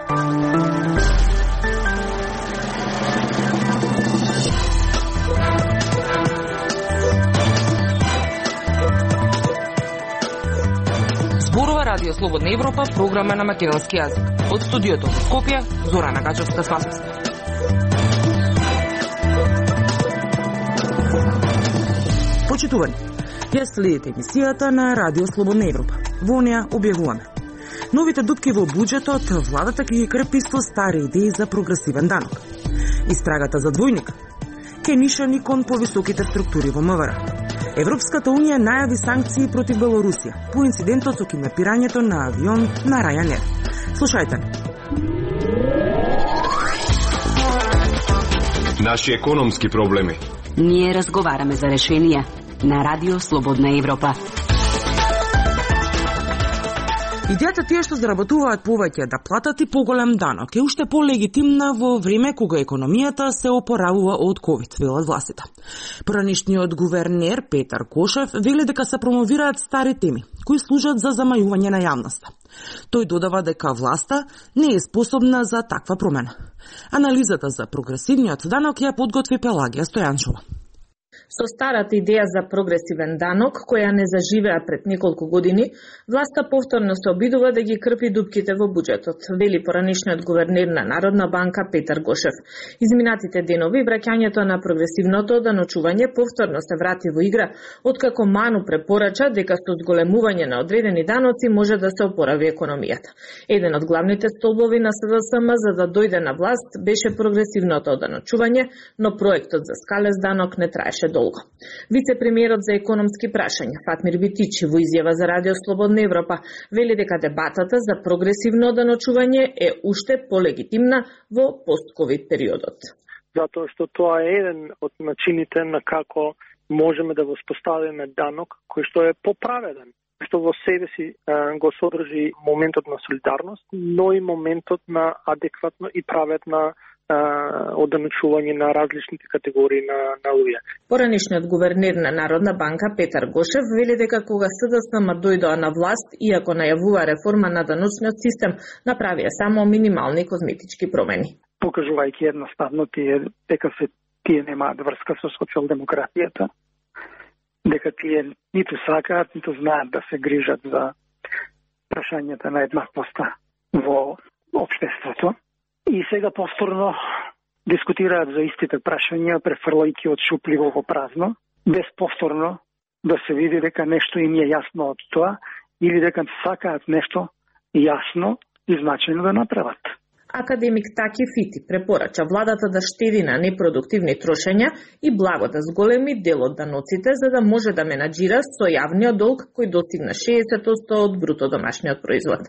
Радио Слободна Европа, програма на македонски јазик. Од студиото во Скопје, Зорана Гачевска-Спасовска. Почитувани, ја следите емисијата на Радио Слободна Европа. Во неа објавуваме новите дупки во буџетот, владата ќе ги крпи со стари идеи за прогресивен данок. Истрагата за двојник, кенишани кон повисоките структури во МВР. Европската унија најави санкции против Белорусија по инцидентот со киднапирањето на авион на Ryanair. Слушајте. Наши економски проблеми. Ние разговараме за решенија на Радио Слободна Европа. Идејата тие што заработуваат повеќе да платат и поголем данок е уште полегитимна во време кога економијата се опоравува од ковид, велат властите. Поранишниот гувернер Петар Кошев вели дека се промовираат стари теми кои служат за замајување на јавноста. Тој додава дека власта не е способна за таква промена. Анализата за прогресивниот данок ја подготви Пелагија Стојанчова. Со старата идеја за прогресивен данок, која не заживеа пред неколку години, власта повторно се обидува да ги крпи дупките во буџетот, вели поранишниот гувернер на Народна банка Петар Гошев. Изминатите денови враќањето на прогресивното оданочување повторно се врати во игра, откако Ману препорача дека со зголемување на одредени даноци може да се опорави економијата. Еден од главните столбови на СДСМ за да дојде на власт беше прогресивното оданочување, но проектот за скалез данок не траеше долго. Вице-премиерот за економски прашања Фатмир Битичи во изјава за Радио Слободна Европа вели дека дебатата за прогресивно оданочување е уште полегитимна во пост-ковид периодот. Затоа што тоа е еден од начините на како можеме да воспоставиме данок кој што е поправеден, што во себе си го содржи моментот на солидарност, но и моментот на адекватно и праvedна оданочување на различните категории на луѓе. Поранишниот гувернер на Народна банка Петар Гошев вели дека кога СДСМ дојдоа на власт, иако најавува реформа на даночниот систем, направија само минимални козметички промени. Покажувајќи едноставно дека тие немаат врска со социјалдемократијата, дека тие ниту сакаат, ниту знаат да се грижат за прашањата на еднаквоста во општеството. И сега повторно дискутираат за истите прашања, префрлајќи од шупливо во празно, без повторно да се види дека нешто им е јасно од тоа или дека сакаат нешто јасно и значајно да направат. Академик Таки Фити препорача владата да штеди на непродуктивни трошења и благо да зголеми дел од даноците за да може да менаџира со јавниот долг кој достигна 60% од бруто домашниот производ.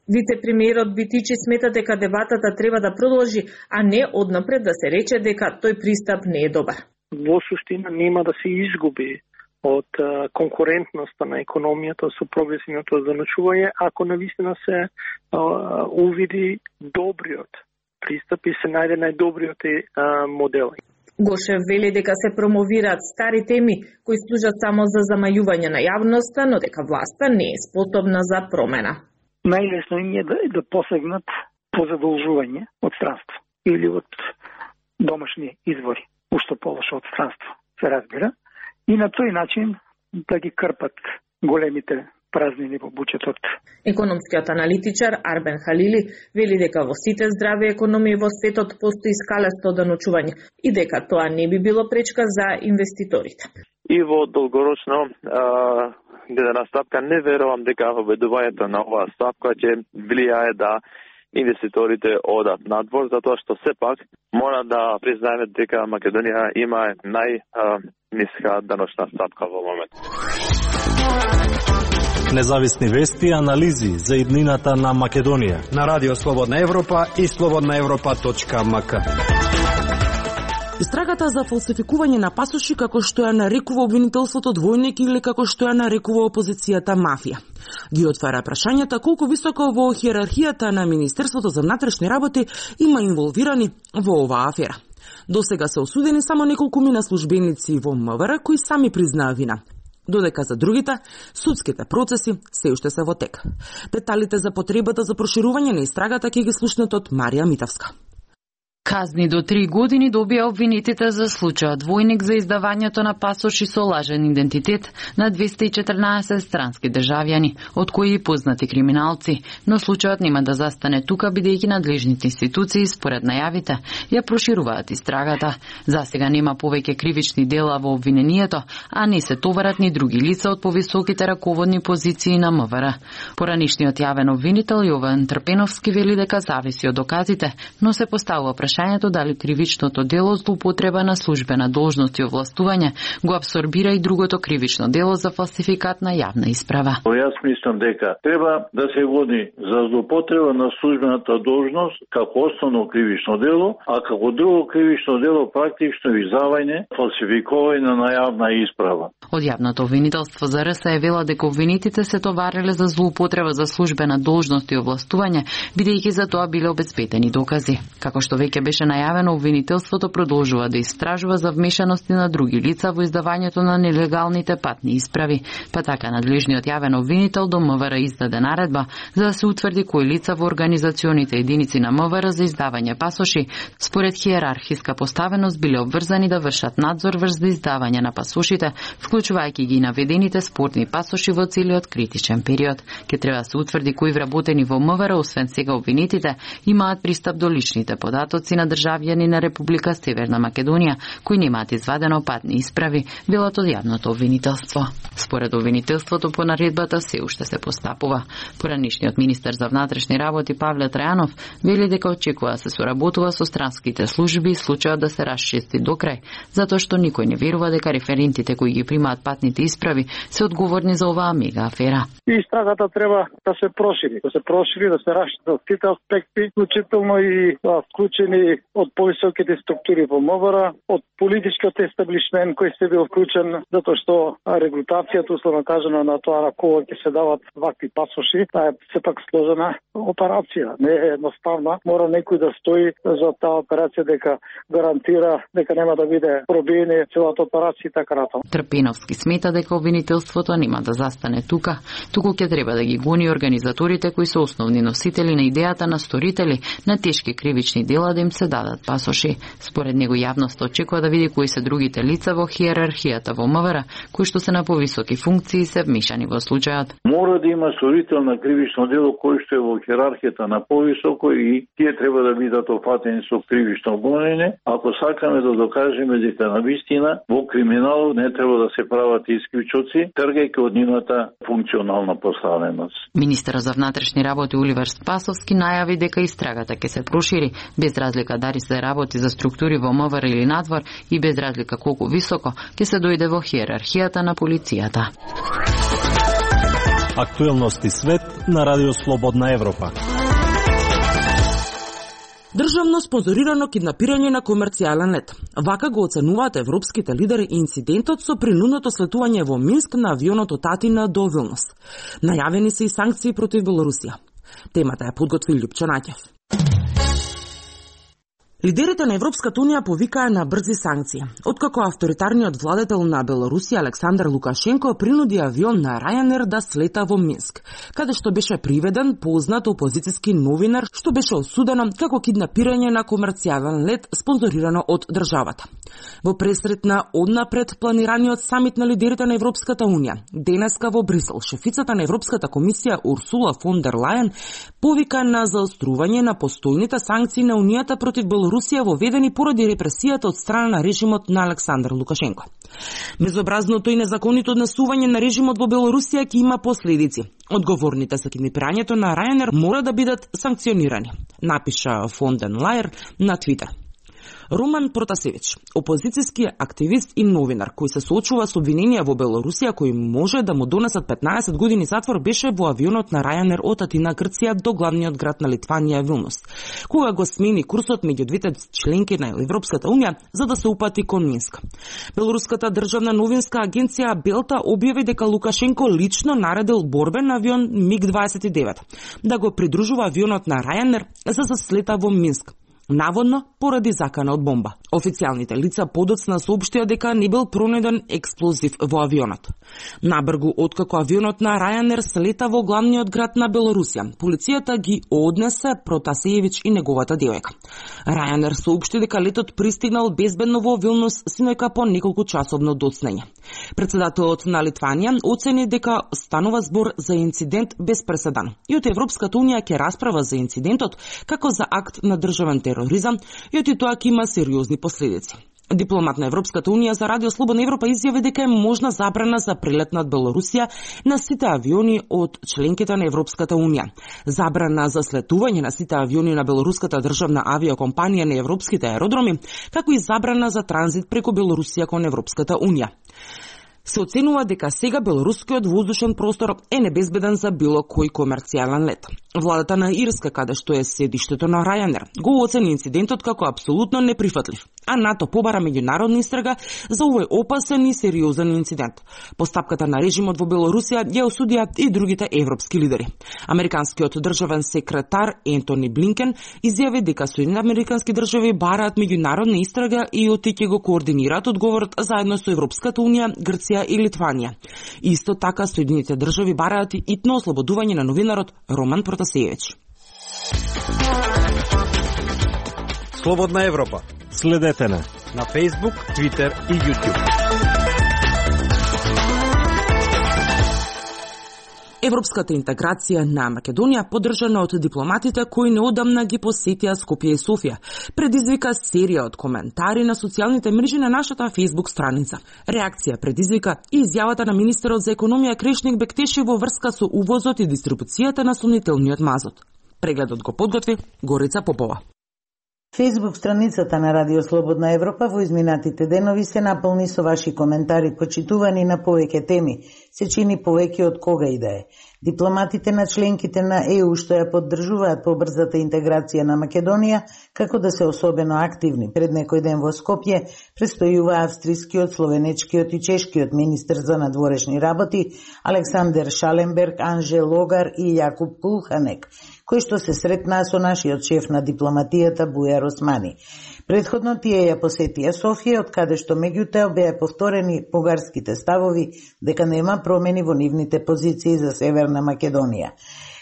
Вице-премиерот Битичи смета дека дебатата треба да продолжи, а не однапред да се рече дека тој пристап не е добар. Во суштина нема да се изгуби од конкурентноста на економијата со прогресивното оданочување, ако навистина се увиди добриот пристап и се најде најдобриот модел. Гошев вели дека се промовираат стари теми кои служат само за замајување на јавноста, но дека власта не е способна за промена. Најлесно им е да посегнат по задолжување од странство или од домашни извори, уште полошо од странство, се разбира, и на тој начин да ги крпат големите празнини во буџетот. Економскиот аналитичар Арбен Халили вели дека во сите здрави економии во светот постои скалесто оданочување и дека тоа не би било пречка за инвеститорите. И во долгорочно гледана стапка не верувам дека воведувањето на оваа стапка ќе влијае да инвеститорите одат надвор, затоа што сепак мора да признаеме дека Македонија има најниска даночна стапка во момент. Независни вести и анализи за иднината на Македонија на Радио Слободна Европа и slobodnaevropa.mk. Истрагата за фалсификување на пасоши, како што ја нарекува обвинителството двојник или како што ја нарекува опозицијата мафија, ги отвара прашањата колку високо во хиерархијата на Министерството за внатрешни работи има инволвирани во оваа афера. Досега се осудени само неколку мина службеници во МВР кои сами признаа вина. додека за другите судските процеси се уште се во тек. Деталите за потребата за проширување на истрагата ќе ги слушнете од Марија Митовска. Казни до 3 години добија обвинетите за случајот двојник за издавањето на пасоши со лажен идентитет на 214 странски државјани, од кои и познати криминалци, но случајот нема да застане тука бидејќи надлежните институции според најавите ја прошируваат истрагата. Засега нема повеќе кривични дела во обвинението, а не се товарат ни други лица од повисоките раководни позиции на МВР. Поранишниот јавен обвинител Јован Трпеновски вели дека зависи од доказите, но се поставува прашањето дали кривичното дело злоупотреба на службена должност и овластување го абсорбира и другото кривично дело за фалсификат на јавна исправа. Јас мислам дека треба да се гони за злоупотреба на службената должност како основно кривично дело, а како друго кривично дело практично издавање, фалсификување на јавна исправа. Од јавното обвинителство за РС е вела дека обвинетите се товареле за злоупотреба за службена должност и овластување, бидејќи за тоа биле обезбедени докази. Како што веќе беше најавено, обвинителството продолжува да истражува за вмешаности на други лица во издавањето на нелегалните патни исправи, па така надлежниот јавен обвинител до МВР издаде наредба за да се утврди кои лица во организационите единици на МВР за издавање пасоши според хиерархиска поставеност биле обврзани да вршат надзор врз издавање на пасошите, вклучувајќи ги наведените спортни пасоши во целиот критичен период. Ке треба да се утврди кои вработени во МВР, освен сега обвинетите, имаат пристап до личните податоци на државјани на Република Северна Македонија, кои немаат извадено патни исправи, велат од јавното обвинителство. Според обвинителството по наредбата се уште се постапува. Поранишниот министер за внатрешни работи Павле Трајанов вели дека очекува да се соработува со странските служби и случајот да се расчисти до крај, затоа што никој не верува дека референтите кои ги примаат патните исправи се одговорни за оваа мега афера. И истрагата треба да се прошири, да се расчистат сите аспекти, вклучително и вклучени од повисоките структури во МВР, од политичкиот естаблишмент кој се бил вклучен, затоа што регрутацијата, условно кажано, на тоа на кого ќе се дават вакви пасоши, таа е сепак сложена операција, не е едноставна. Мора некој да стои за таа операција дека гарантира дека нема да биде пробиена целата операција и така натаму. Трпеновски смета дека обвинителството нема да застане тука, туку ќе треба да ги гони организаторите кои се основни носители на идејата на сторители на тешки кривични дела да им се дадат пасоши. Според него јавноста очекува да види кои се другите лица во хиерархијата во МВР кои што се на повисоки функции и се вмешани во случајот. Мора да има сторител на кривично дело кој што е во хиерархијата на повисоко и тие треба да бидат опфатени со кривично гонење, ако сакаме да докажеме дека навистина во криминалот не треба да се прават исклучоци, тргајќи од нивната функционална поставеност. Министерот за внатрешни работи Оливер Спасовски најави дека истрагата ќе се прошири без разлика дали се работи за структури во МВР или надвор и без разлика колку високо ќе се дојде во хиерархијата на полицијата. Актуелности свет на Радио Слободна Европа. Државно спонзорирано киднапирање на комерцијален лет. Вака го оценуваат европските лидери инцидентот со принудното слетување во Минск на авионот од Атина до Вилнус. Најавени се и санкции против Белорусија. Темата ја подготви Лјупчо Наќев. Лидерите на Европската Унија повикаа на брзи санкции, откако авторитарниот владетел на Белорусија Александар Лукашенко принуди авион на Ryanair да слета во Минск, каде што беше приведен познат опозициски новинар што беше осудено како киднапирање на комерцијален лет спонзорирано од државата. Во пресрет на однапред планираниот самит на лидерите на Европската Унија, денеска во Брисел, шефицата на Европската комисија Урсула фон дер Лајен повика на заострување на постојните санкции на Унијата против Белорусија воведени поради репресијата од страна на режимот на Александар Лукашенко. Безобразното и незаконито однесување на режимот во Белорусија ќе има последици. Одговорните за киднапирањето на Ryanair мора да бидат санкционирани, напиша фон дер Лајен на Твитер. Роман Протасевич, опозицијски активист и новинар кој се соочува со обвиненија во Белорусија кои може да му донесат 15 години затвор, беше во авионот на Ryanair од Атина, Грција до главниот град на Литванија, Вилнус, кога го смени курсот меѓу двете членки на Европската Унија за да се упати кон Минск. Белоруската државна новинска агенција Белта објави дека Лукашенко лично наредил борбен авион МиГ-29 да го придружува авионот на Ryanair за да слета во Минск, наводно поради закана од бомба. Официјалните лица подоцна соопштија дека не бил пронајден експлозив во авионот. Набргу откако авионот на Ryanair слета во главниот град на Белорусија, полицијата ги однесе Протасиевич и неговата девојка. Ryanair соопшти дека летот пристигнал безбедно во Вилнус синојка по неколку часовно доцнење. Председателот на Литванија оцени дека станува збор за инцидент без преседан и од Европската унија ќе расправа за инцидентот како за акт на државен тероризам и од тоа ќе има сериозни последици. Дипломат на Европската унија за Радио Слободна Европа изјави дека е можна забрана за прелет над Белорусија на сите авиони од членките на Европската унија. Забрана за слетување на сите авиони на белоруската државна авиокомпанија на европските аеродроми, како и забрана за транзит преку Белорусија кон Европската унија. Се оценува дека сега белорускиот воздушен простор е небезбеден за било кој комерцијален лет. Владата на Ирска, каде што е седиштето на Ryanair, го оцени инцидентот како апсолутно неприфатлив, а НАТО побара меѓународна истрага за овој опасен и сериозен инцидент. Постапката на режимот во Белорусија ја осудија и другите европски лидери. Американскиот државен секретар Ентони Блинкен изјави дека Соединените американски држави бараат меѓународна истрага и ќе го координираат одговорот заедно со Европската унија, Грција и Литванија. Исто така Соединените држави бараат и итно ослободување на новинарот Роман Протасиевич. Слободна Европа. Следете на Facebook, Twitter и YouTube. Европската интеграција на Македонија, поддржана од дипломатите кои неодамна ги посетија Скопје и Софија, предизвика серија од коментари на социјалните мрежи на нашата Facebook страница. Реакција предизвика и изјавата на министерот за економија Крешник Бектеши во врска со увозот и дистрибуцијата на сомнителниот мазот. Прегледот го подготви Горица Попова. Facebook страницата на Радио Слободна Европа во изминатите денови се наполни со ваши коментари почитувани на повеќе теми, се чини повеќе од кога и да е. Дипломатите на членките на ЕУ што ја поддржуваат побрзата интеграција на Македонија, како да се особено активни. Пред некој ден во Скопје престојува австрискиот, словенечкиот и чешкиот министер за надворешни работи Александер Шаленберг, Анже Логар и Јакуб Пулханек, кој што се сретнаа со нашиот шеф на дипломатијата Бујар Османи. Предходно тие ја посетија Софија, од каде што меѓутоа беа повторени бугарските ставови дека нема промени во нивните позиции за Северна Македонија.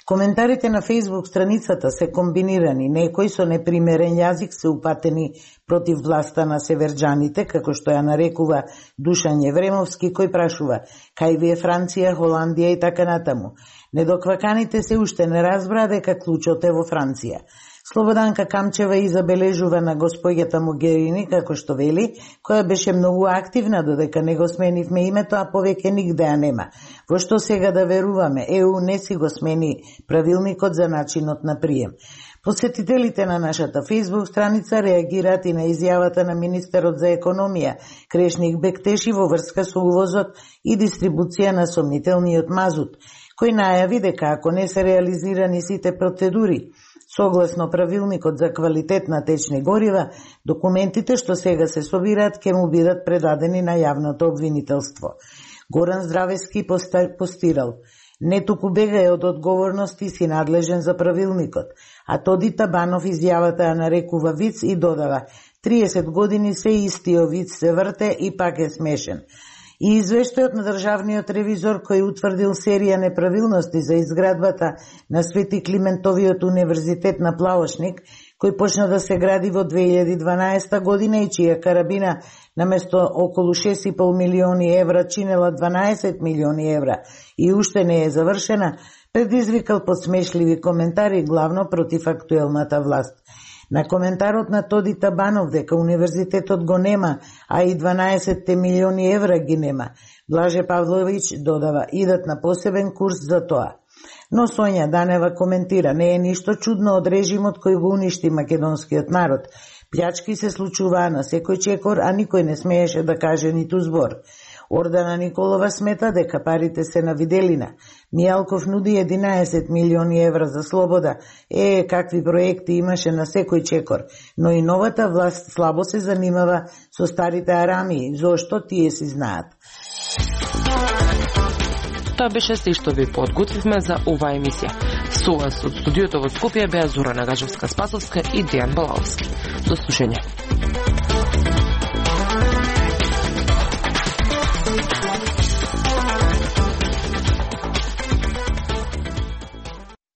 Коментарите на Facebook страницата се комбинирани, некои со непримерен јазик се упатени против власта на северџаните, како што ја нарекува Душан Евремовски, кој прашува кај ви е Франција, Холандија и така натаму. Недокваканите се уште не разбра дека клучот е во Франција. Слободанка Камчева изабележува на госпоѓата Могерини, како што вели, која беше многу активна додека не го сменивме името, а повеќе нигде ја нема. Во што сега да веруваме, ЕУ не си го смени правилникот за начинот на прием. Посетителите на нашата Facebook страница реагираат и на изјавата на министерот за економија Крешник Бектеши во врска со увозот и дистрибуција на сомнителниот мазут, кој најави дека ако не се реализирани сите процедури согласно правилникот за квалитет на течни горива, документите што сега се собираат ќе му бидат предадени на јавното обвинителство. Горан Здравески постирал: не туку бегај од одговорност и си надлежен за правилникот, а Тоди Табанов изјавата ја нарекува виц и додава: 30 години се истиот виц се врте и пак е смешен. И извештајот на државниот ревизор кој утврдил серија неправилности за изградбата на Свети Климентовиот универзитет на Плавошник, кој почна да се гради во 2012 година и чија карабина наместо околу 6,5 милиони евра чинела 12 милиони евра и уште не е завршена, предизвикал подсмешливи коментари главно против актуелната власт. На коментарот на Тоди Табанов дека универзитетот го нема, а и 12 милиони евра ги нема, Блаже Павлович додава: идат на посебен курс за тоа. Но Сонја Данева коментира: не е ништо чудно од режимот кој го уништи македонскиот народ. Плячки се случуваа на секој чекор, а никој не смееше да каже ниту збор. Ордана Николова смета дека парите се на виделина. Мијалков нуди 11 милиони евра за слобода. Какви проекти имаше на секој чекор. Но и новата власт слабо се занимава со старите арамии. Зошто? Тие си знаат. Тоа беше се што ви подготвивме за оваа емисија. Со вас од студиото во Скопје беа Зора Нагажевска-Спасовска и Дејан Балаловски. До слушање.